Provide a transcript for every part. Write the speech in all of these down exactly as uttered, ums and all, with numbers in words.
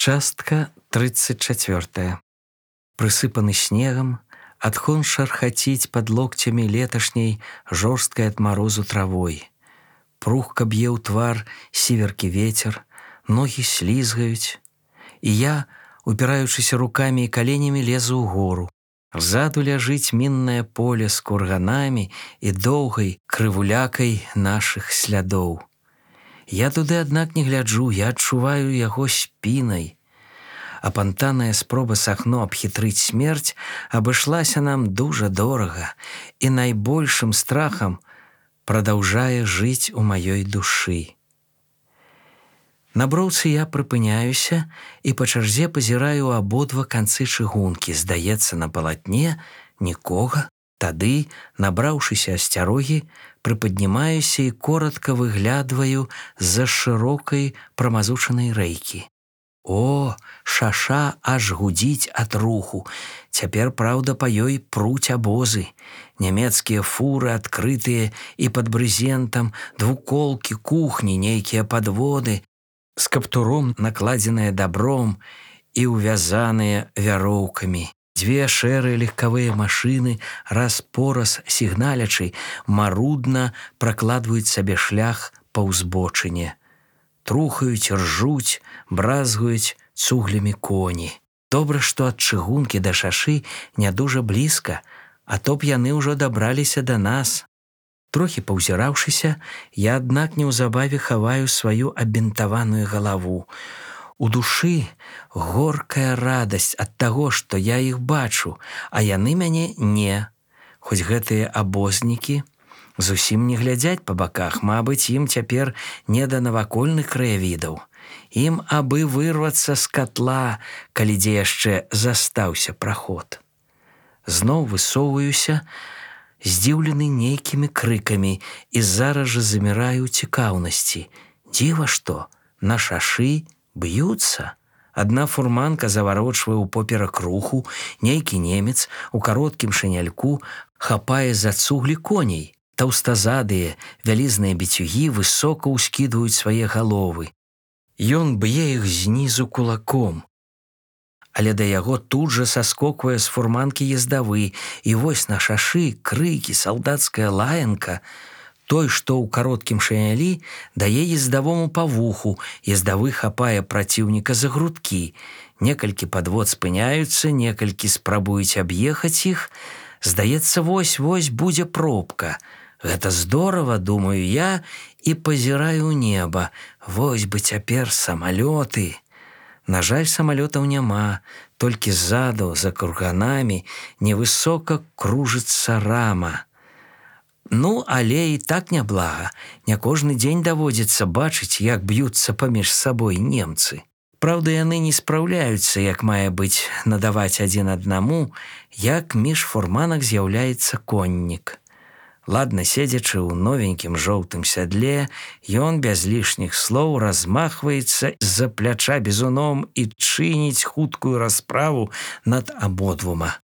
Частка тридцать четвертая. Прысыпаны снегом, адхон шархаціць пад локцямі леташняй жорсткай ад марозу травой. Прухка б'е ў твар сіверкі вецер, ногі слізгаюць. І я, упіраючыся рукамі і каленямі, лезу ў гору. Ззаду ляжыць міннае поле з курганамі і доўгай крывулякай нашых слядоў. Я туды, аднак, не гляджу, я адчуваю яго спінай. Апантаная спроба сахно абхітрыць смерць абышлася нам дужа дорага і найбольшым страхам прадаўжае жыць у маёй душы. На броўцы я прыпыняюся і па чарзе пазіраю абодва канцы чыгункі. Здаецца, на палатне нікога. Тады, набраўшыся асцярогі, прыпаднімаюся і коротка выглядваю з-за шырокай прамазучанай рэйкі. О, шаша аж гудзіць ад руху. Цяпер, праўда, па ёй пруць абозы. Нямецкія фуры адкрытыя і пад брызентам, двуколкі, кухні, нейкія падводы, з каптуром накладзеныя дабром і ўвязаныя вяроўкамі. Дзве шэрыя легкавыя машыны, раз-пораз сігналячы, марудна пракладваюць сабе шлях па ўзбочыне. Трухаюць, ржуць, бразгаюць цуглямі коні. Добра, што ад чыгункі да шашы не дужа блізка, а то б яны ўжо дабраліся да нас. Трохі паўзіраўшыся, я, аднак, неўзабаве хаваю сваю абінтаваную галаву. У душы горкая радасць ад таго, што я іх бачу, а яны мяне не. Хоць гэтыя абознікі зусім не глядзяць па баках, мабыць, ім цяпер не да навакольных краявідаў. Ім абы вырвацца з катла, калі дзе яшчэ застаўся праход. Зноў высоўваюся, здзіўлены нейкімі крыкамі, і зараз жа заміраю ў цікаўнасці. Дзіва што, на шашы б'юцца. Адна фурманка заварочвае ўпоперак руху, нейкі немец у кароткім шыняльку хапае за цуглі коней. Таўстазадыя, вялізныя біцюгі высока ўскідваюць свае галовы. Ён б'е іх знізу кулаком. Але да яго тут жа саскоквае з фурманкі ездавы, і вось на шашы крыкі, салдацкая лаянка. Той, што ў кароткім шынялі, дае ездавому па вуху, ездавы хапае праціўніка за грудкі. Некалькі падвод спыняюцца, некалькі спрабуюць аб'ехаць іх. Здаецца, вось-вось будзе пробка. Гэта здорава, думаю я, і пазіраю ў неба. Вось бы цяпер самалёты. На жаль, самалётаў няма, толькі ззаду, за курганамі, невысока кружыцца рама. Ну, але і так няблага. Не кожны дзень даводзіцца бачыць, як б'юцца паміж сабой немцы. Праўда, яны не спраўляюцца, як мае быць, надаваць адзін аднаму, як між фурманак з'яўляецца коннік. Ладна седзячы ў новенькім жоўтым сядле, ён без лішніх слоў размахваецца з-за пляча бізуном і чыніць хуткую расправу над абодвума.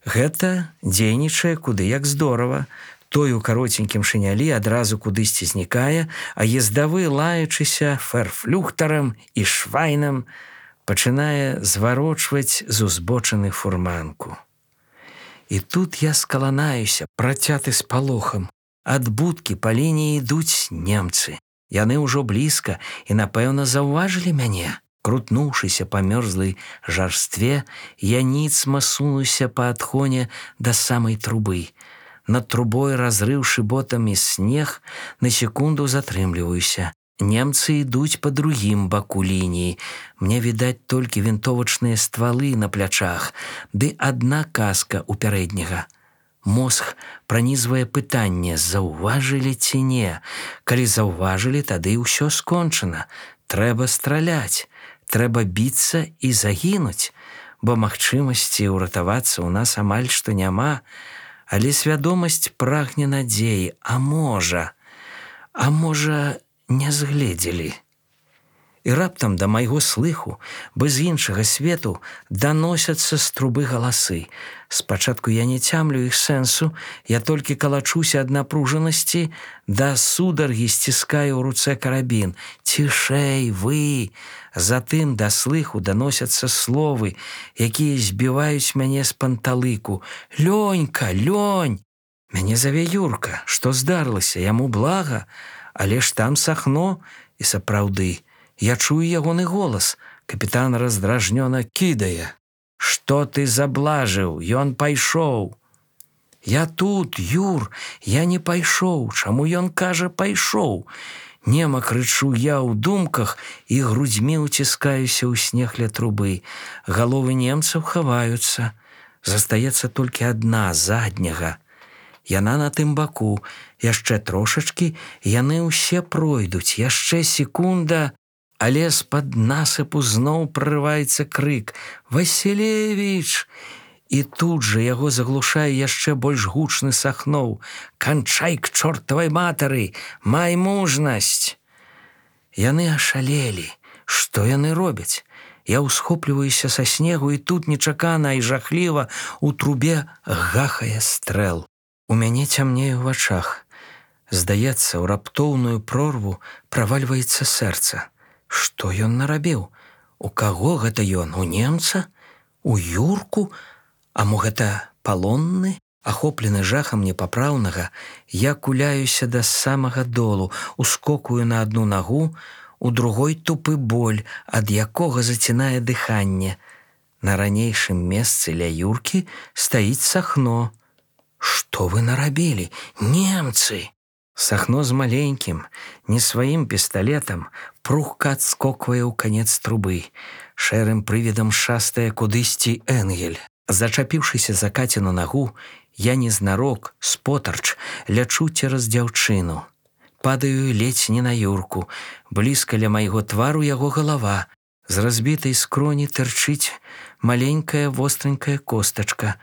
Гэта дзейнічае куды як здорава. Той у кароценькім шынялі адразу кудысьці знікае, а ездавы, лаючыся ферфлюхтарам і швайнам, пачынае зварочваць з узбочыны фурманку. І тут я скаланаюся, працяты спалохам. Ад будкі па лініі ідуць немцы. Яны ўжо блізка і, напэўна, заўважылі мяне. Крутнуўшыся па мёрзлай жарстве, я ніцма сунуся па адхоне да самай трубы. Над трубой, разрыўшы ботамі снег, на секунду затрымліваюся. Немцы ідуць па другім баку лініі. Мне відаць толькі вінтовачныя ствалы на плячах, ды адна каска ў пярэдняга. Мозг пранізвае пытанне, заўважылі ці не. Калі заўважылі, тады ўсё скончана. Трэба страляць. Трэба біцца і загінуць, бо магчымасці ўратавацца ў нас амаль што няма, але свядомасць прагне надзеі, а можа, а можа, не згледзелі. І раптам да майго слыху, без іншага свету, даносяцца з трубы галасы. Спачатку я не цямлю іх сэнсу, я толькі калачуся ад напружанасці, да сударгі сціскаю ў руцэ карабін. «Цішэй, вы!» Затым да слыху даносяцца словы, якія збіваюць мяне з панталыку. «Лёнька, Лёнь!» Мяне заве Юрка. Што здарылася? Яму блага? Але ж там Сахно. І сапраўды, я чую ягоны голас. Капітан раздражнёна кідае. «Што ты заблажыў? Ён пайшоў!» «Я тут, Юр, я не пайшоў. Чаму ён кажа пайшоў?» Нема крычу я ў думках і грудзьмі ўціскаюся ў снег ля трубы. Галовы немцаў хаваюцца. Застаецца толькі адна, задняга. Яна на тым баку. Яшчэ трошачкі, яны ўсе пройдуць. Яшчэ секунда, але з-пад насыпу зноў прарываецца крык. «Васілевіч!» І тут жа яго заглушае яшчэ больш гучны Сахноў. «Канчай к чортавай матары! Май мужнасць!» Яны ашалелі. Што яны робяць? Я ўсхопліваюся са снегу, і тут нечакана і жахліва у трубе гахае стрэл. У мяне цямнее ў вачах. Здаецца, у раптоўную прорву правальваецца сэрца. Што ён нарабіў? У каго гэта ён? У немца? У Юрку? А мо гэта палонны? Ахоплены жахам непапраўнага, я куляюся да самага долу, ускокую на адну нагу, у другой тупы боль, ад якога зацінае дыханне. На ранейшым месцы ля Юркі стаіць Сахно. «Што вы нарабілі? Немцы!» Сахно з маленькім, не сваім пісталетам, прухка адскоквае ў канец трубы. Шэрым прывідам шастае кудысьці Энгель. Зачапіўшыся за Каціну нагу, я незнарок, спотарч, лячу цераз дзяўчыну. Падаю ледзь не на Юрку. Блізка ля майго твару яго галава. З разбітай скроні тырчыць маленькая востренькая костачка.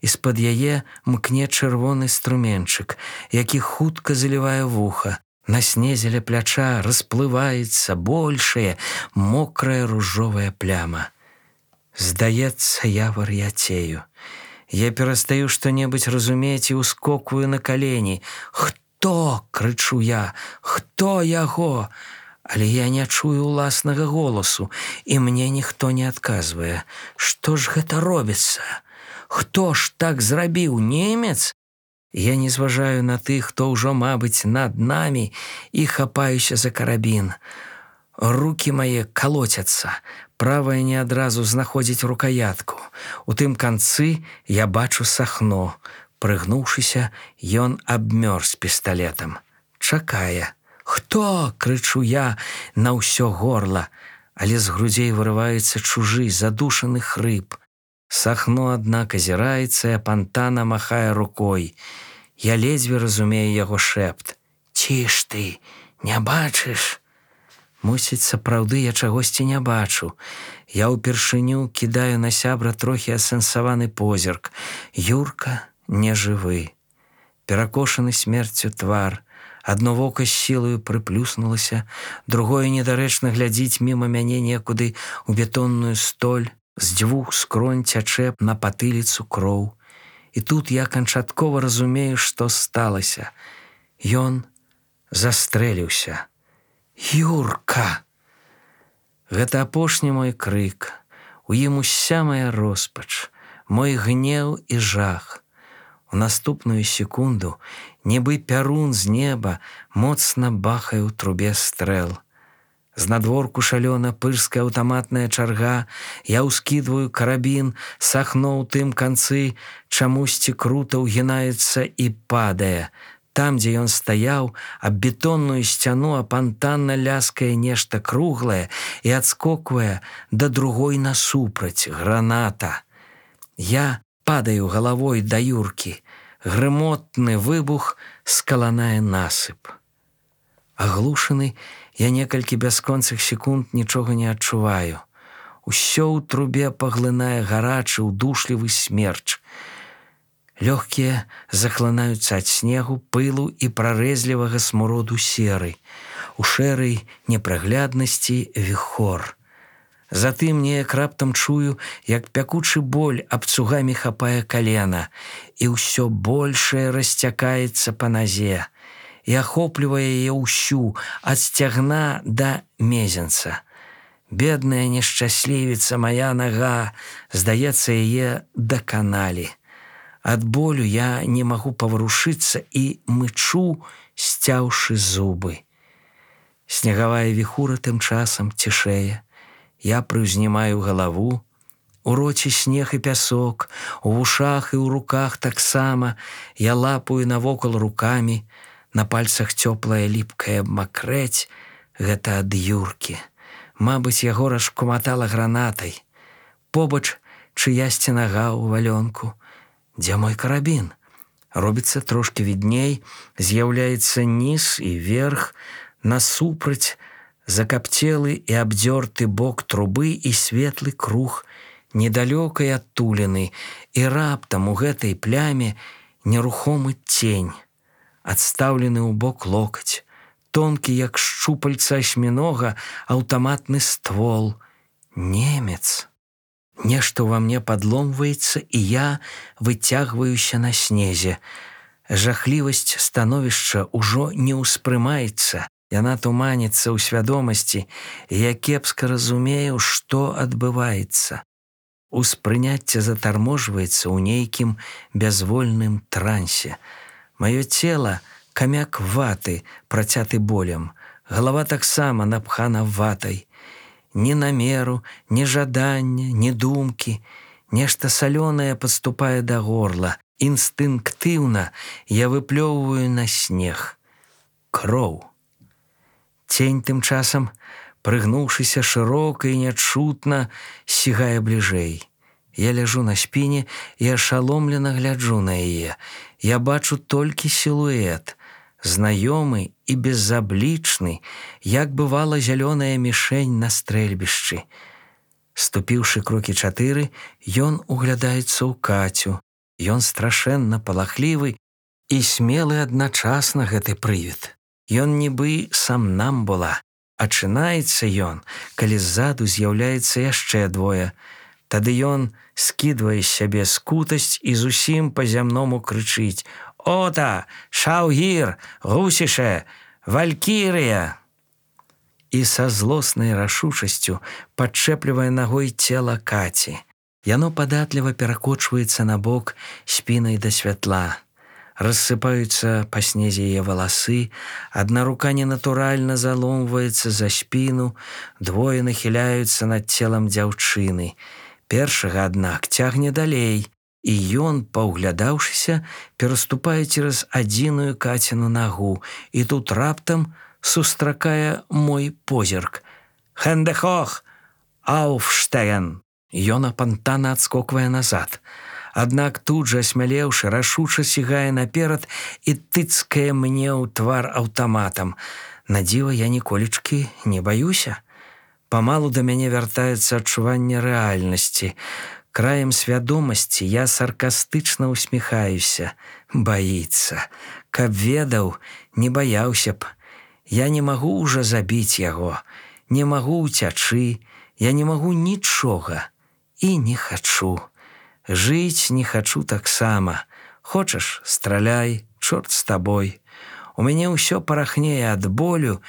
З-пад яе мкне чырвоны струменчык, які хутка залівае вуха. На снезе ля пляча расплываецца большая, мокрая ружовая пляма. Здаецца, я вар'яцею. Я перастаю што-небудзь разумець і ўскокваю на калені. «Хто?» – крычу я. «Хто яго?» Але я не чую ўласнага голасу, і мне ніхто не адказвае. Што ж гэта робіцца? Хто ж так зрабіў? Немец? Я не зважаю на тых, хто ўжо, мабыць, над намі, і хапаюся за карабін. Рукі мае калоцяцца. Правая не адразу знаходзіць рукаятку. У тым канцы я бачу Сахно. Прыгнуўшыся, ён абмёрз пісталетам. Чакае. «Хто?» – крычу я на ўсё горла, але з грудзей вырываецца чужы, задушаны хрып. Сахно, аднак, азіраецца і апантана махае рукой. Я ледзьве разумею яго шэпт. «Ці ж ты, не бачыш?» Мусіць, сапраўды я чагосьці не бачу. Я ўпершыню кідаю на сябра трохі асэнсаваны позірк. Юрка не жывы. Перакошаны смерцю твар. Адно вока з сілаю прыплюснулася, другое недарэчна глядзіць міма мяне некуды ў бетонную столь. З дзвюх скронь цячэ на патыліцу кроў. І тут я канчаткова разумею, што сталася. Ён застрэліўся. «Юрка!» Гэта апошні мой крык. У ім уся моя роспач, мой гнеў і жах. У наступную секунду, нібы пярун з неба, моцна бахае ў трубе стрэл. З надворку шалёна пырская аўтаматная чарга, я ўскідваю карабін, Сахно ў тым канцы чамусьці крута ўгінаецца і падае. Там, дзе ён стаяў, аб бетонную сцяну апантанна ляскае нешта круглае і адскоквае да другой насупраць, граната. Я падаю галавой да Юркі. Грымотны выбух скаланае насып. Аглушаны, я некалькі бясконцых секунд нічога не адчуваю. Усё ў трубе паглынае гарачы, удушлівы смерч. Лёгкія захлынаюцца ад снегу, пылу і прарэзлівага смуроду серы. у шэрай непрагляднасці віхор. Затым неяк раптам чую, як пякучы боль абцугамі хапае калена, і ўсё большае расцякаецца па назе і ахоплівае яе ўсю ад сцягна да мезенца. Бедная нешчаслівіца мая нага, здаецца, яе даканалі. Ад болю я не магу паварушыцца і мычу, сцяўшы зубы. Снегавая віхура тым часам цішэе. Я прыўзнімаю галаву, у роце снег і пясок, у вушах і ў руках таксама. Я лапаю навокал рукамі, на пальцах цёплая ліпкая макрэць, гэта ад Юркі. Мабыць, яго расшкуматала гранатай. Побач чыясьці нага ў валёнку. Дзе мой карабін? Робіцца трошкі відней, з'яўляецца ніз і верх, насупраць закапцелы і абдзёрты бок трубы і светлы круг недалёкай адтуліны, і раптам у гэтай пляме нерухомы цень, адстаўлены ў бок локаць, тонкі, як шчупальца асьмінога, аўтаматны ствол. Немец. Нешта ўва мне падломваецца, і я выцягваюся на снезе. Жахлівасць становішча ўжо не ўспрымаецца. Яна туманіцца ў свядомасці, і я кепска разумею, што адбываецца. Успрыняцце затарможваецца ў нейкім бязвольным трансе. Маё цела — камяк ваты, працяты болем. Галава таксама напхана ватай. Ні намеру, ні жадання, ні думкі. Нешта салёнае падступае да горла. Інстынктыўна я выплёўваю на снег. Кроў. Цень тым часам, прыгнуўшыся шырока і нячутна, сігае бліжэй. Я ляжу на спіне і ашаломлена гляджу на яе. Я бачу толькі сілуэт, знаёмы і безаблічны, як бывала зялёная мішень на стрэльбішчы. Ступіўшы крокі чатыры, ён углядаецца ў Кацю. Ён страшэнна палахлівы і смелы адначасна гэты прывід. Ён нібы сам нам была. Ачынаецца ён, калі ззаду з'яўляецца яшчэ двое. Тады ён скідвае з сябе скутасць і зусім па-зямному крычыць: «Ота! Шаўгір! Гусіше! Валькірыя!» І са злоснай рашучасцю падчэплівае ногой цела Каці. Яно падатліва перакочваецца на бок спінай да святла. Рассыпаюцца па снезе яе валасы, адна рука ненатуральна заломваецца за спіну, двое нахіляюцца над целам дзяўчыны. Першага, аднак, цягне далей, і ён, паўглядаўшыся, пераступае цераз адзіную Каціну нагу, і тут раптам сустракае мой позірк. «Хэндехох! Ауфштеген!» Ён апантана адскоквае назад. Аднак тут жа, асмялеўшы, рашуча сігае наперад і тыцкае мне ў твар аўтаматам. На дзіва, я ніколечкі не баюся. Памалу да мяне вяртаецца адчуванне рэальнасці. Краем свядомасці я саркастычна усміхаюся. Баіцца. Каб ведаў, не баяўся б. Я не магу ўжо забіць яго. Не магу ўцячы. Я не магу нічога. І не хачу. Жыць не хачу таксама. Хочаш, страляй, чорт з табой. У мяне ўсё парахнее ад болю,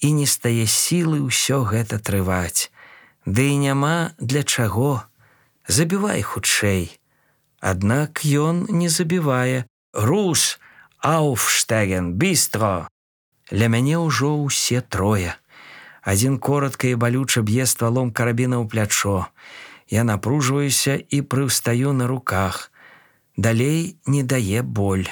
і не стае сілы ўсё гэта трываць. Ды і няма для чаго. Забівай хутчэй. Аднак ён не забівае. «Рус! Ауфштеген! Бістро!» Ля мяне ўжо ўсе трое. Адзін коротка і балюча б'е ствалом карабіна ў плячо. Я напружваюся і прыўстаю на руках. Далей не дае боль.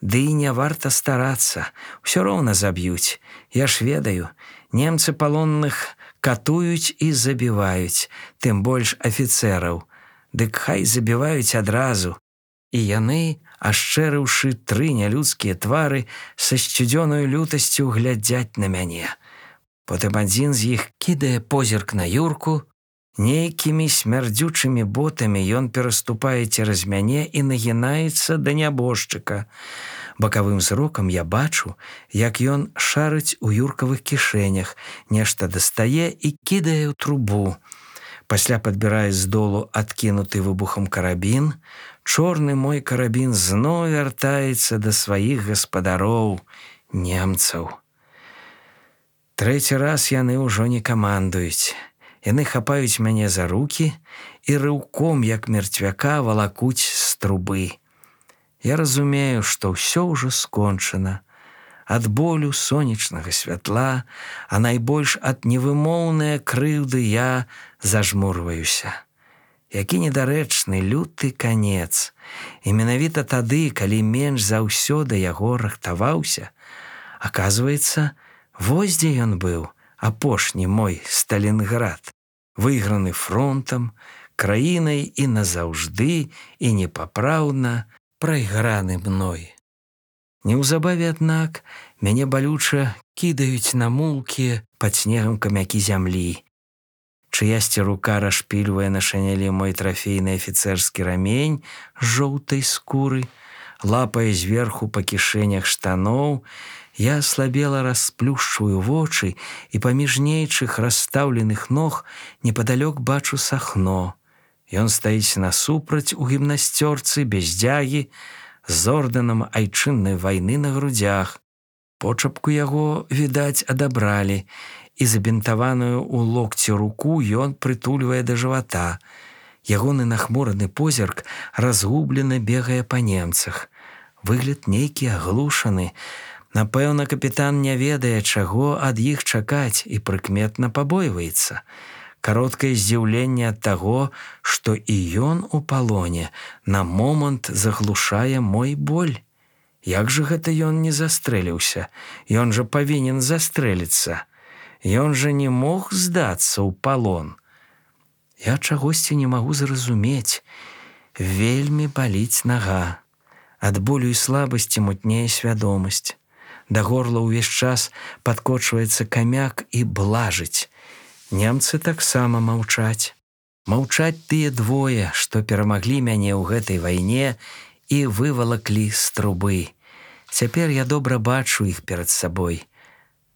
Ды і не варта старацца. Усё роўна заб'юць. Я ж ведаю, немцы палонных катуюць і забіваюць, тым больш афіцэраў. Дык хай забіваюць адразу. І яны, ашчэрыўшы тры нялюдскія твары, са сцюдзёнаю лютасцю глядзяць на мяне. Потым адзін з іх кідае позірк на Юрку. Нейкімі смярдзючымі ботамі ён пераступае цераз мяне і нагінаецца да нябожчыка. Бакавым зрокам я бачу, як ён шарыць у юркавых кішэнях, нешта дастае і кідае ў трубу. Пасля падбірае з долу адкінуты выбухам карабін. Чорны мой карабін зноў вяртаецца да сваіх гаспадароў, немцаў. Трэці раз яны ўжо не камандуюць. Яны хапаюць мяне за рукі і рыўком, як мерцвяка, валакуць з трубы. Я разумею, што ўсё ўжо скончана. Ад болю сонечнага святла, а найбольш ад невымоўнае крыўды я зажмурваюся. Які недарэчны люты канец. І менавіта тады, калі менш за ўсё да яго рыхтаваўся, аказваецца, вось дзе ён быў, апошні мой Сталінград, выйграны фронтам, краінай і назаўжды, і непапраўна прайграны мной. Неўзабаве, аднак, мяне балюча кідаюць на мулкі пад снегам камякі зямлі. Чыясьці рука расшпільвае на шанялі мой трафейны афіцэрскі рамень з жоўтай скуры, лапае зверху па кішэнях штаноў. Я аслабела расплюшчваю вочы і паміж нейчых расстаўленых ног непадалёк бачу Сахно. Ён стаіць насупраць у гімнасцёрцы без дзягі, з ордэнам айчыннай вайны на грудзях. Почапку яго, відаць, адабралі, і забінтаваную ў локці руку ён прытульвае да жывата. Ягоны нахмураны позірк разгублена бегае па немцах. Выгляд нейкі аглушаны. Напэўна, капітан не ведае, чаго ад іх чакаць, і прыкметна пабойваецца. Кароткае здзіўленне ад таго, што і ён у палоне, на момант заглушае мой боль. Як жа гэта ён не застрэліўся? Ён жа павінен застрэліцца. Ён жа не мог здацца ў палон. Я чагосьці не магу зразумець. Вельмі баліць нага. Ад болю і слабасці мутнее свядомасць. Да горла ўвесь час падкочваецца камяк і блажыць. Немцы таксама маўчаць. Маўчаць тыя двое, што перамаглі мяне ў гэтай вайне і вывалаклі з трубы. Цяпер я добра бачу іх перад сабой.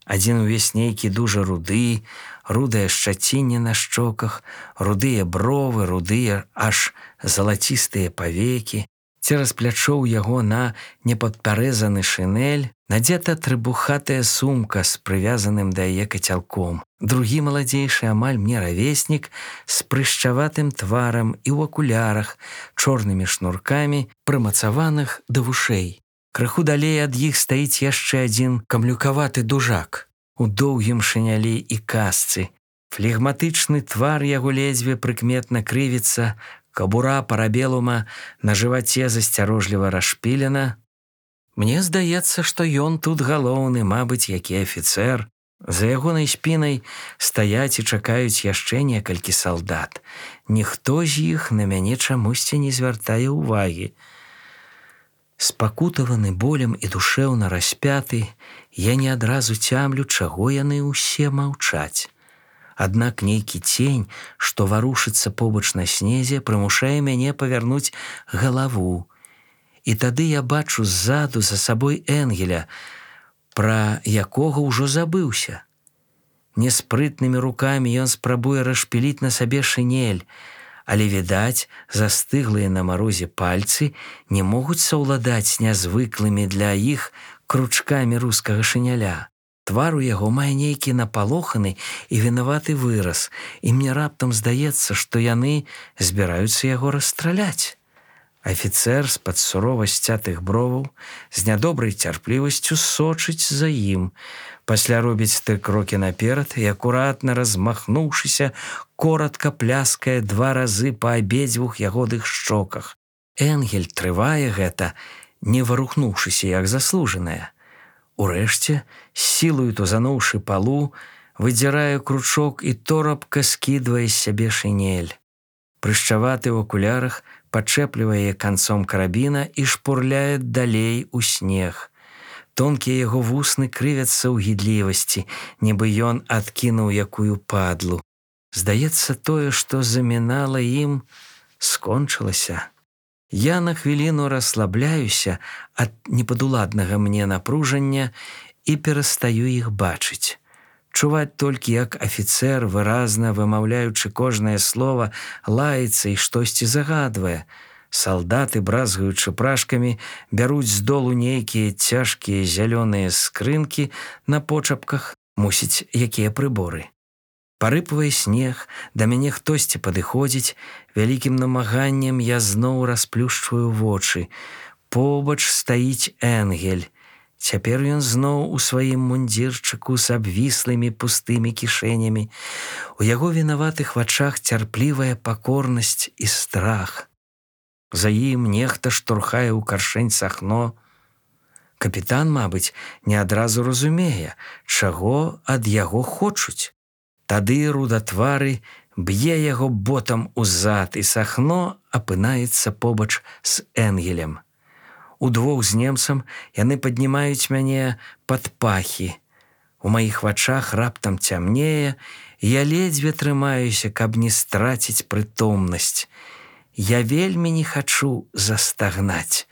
Адзін увесь нейкі дужа руды, рудае шчацінне на шчоках, рудыя бровы, рудыя аж залацістыя павекі. Цераз плячо ў яго на непадпярэзаны шынель надзета трыбухатая сумка з прывязаным да яе кацялком. Другі маладзейшы амаль мне равеснік з прышчаватым тварам і ў акулярах, чорнымі шнуркамі, прымацаваных да вушэй. Крыху далей ад іх стаіць яшчэ адзін камлюкаваты дужак у доўгім шынялі і касцы. Флегматычны твар яго ледзьве прыкметна крывіцца, кабура парабелума на жываце засцярожліва расшпілена. Мне здаецца, што ён тут галоўны, мабыць, які афіцэр. За ягонай спінай стаяць і чакаюць яшчэ некалькі салдат. Ніхто з іх на мяне чамусьці не звяртае ўвагі. Спакутаваны болем і душэўна распяты, я не адразу цямлю, чаго яны ўсе маўчаць. Аднак нейкі цень, што варушыцца побач на снезе, прымушае мяне павярнуць галаву. І тады я бачу ззаду за сабой Энгеля, пра якога ўжо забыўся. Неспрытнымі рукамі ён спрабуе расшпіліць на сабе шынель, але, відаць, застыглыя на марозе пальцы не могуць саўладаць з нязвыклымі для іх кручкамі рускага шыняля. Твар у яго мае нейкі напалоханы і вінаваты выраз, і мне раптам здаецца, што яны збіраюцца яго расстраляць. Афіцэр з-пад сурова сцятых броваў з нядобрай цярплівасцю сочыць за ім. Пасля робіць тры крокі наперад і, акуратна размахнуўшыся, коратка пляскае два разы па абедзвюх ягоных шчоках. Энгель трывае гэта, не варухнуўшыся, як заслужанае. Урэшце, з сілаю тузануўшы палу, выдзірае кручок і торопка скідвае з сябе шынель. Прышчаваты ў акулярах пачэплівае канцом карабіна і шпурляе далей у снег. Тонкія яго вусны крывяцца ў гідлівасці, нібы ён адкінуў якую падлу. Здаецца, тое, што замінала ім, скончылася. Я на хвіліну расслабляюся ад непадуладнага мне напружання і перастаю іх бачыць. Чуваць толькі, як афіцэр, выразна вымаўляючы кожнае слова, лаецца і штосьці загадвае. Салдаты, бразгаючы прашкамі, бяруць з долу нейкія цяжкія зялёныя скрынкі на почапках, мусіць, якія прыборы. Парыпвае снег, да мяне хтосьці падыходзіць, вялікім намаганнем я зноў расплюшчваю вочы. Побач стаіць Энгель. Цяпер ён зноў у сваім мундзірчыку з абвіслымі пустымі кішэнямі. У яго вінаватых вачах цярплівая пакорнасць і страх. За ім нехта штурхае ў каршэнь сахно. Капітан, мабыць, не адразу разумее, чаго ад яго хочуць. Тады рудатвары б'е яго ботам у зад, і сахно апынаецца побач з Энгелем. Удвух з немцам яны паднімаюць мяне пад пахі. У маіх вачах раптам цямнее, і я ледзьве трымаюся, каб не страціць прытомнасць. Я вельмі не хачу застагнаць.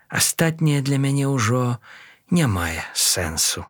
Астатняе для мяне ўжо не мае сэнсу.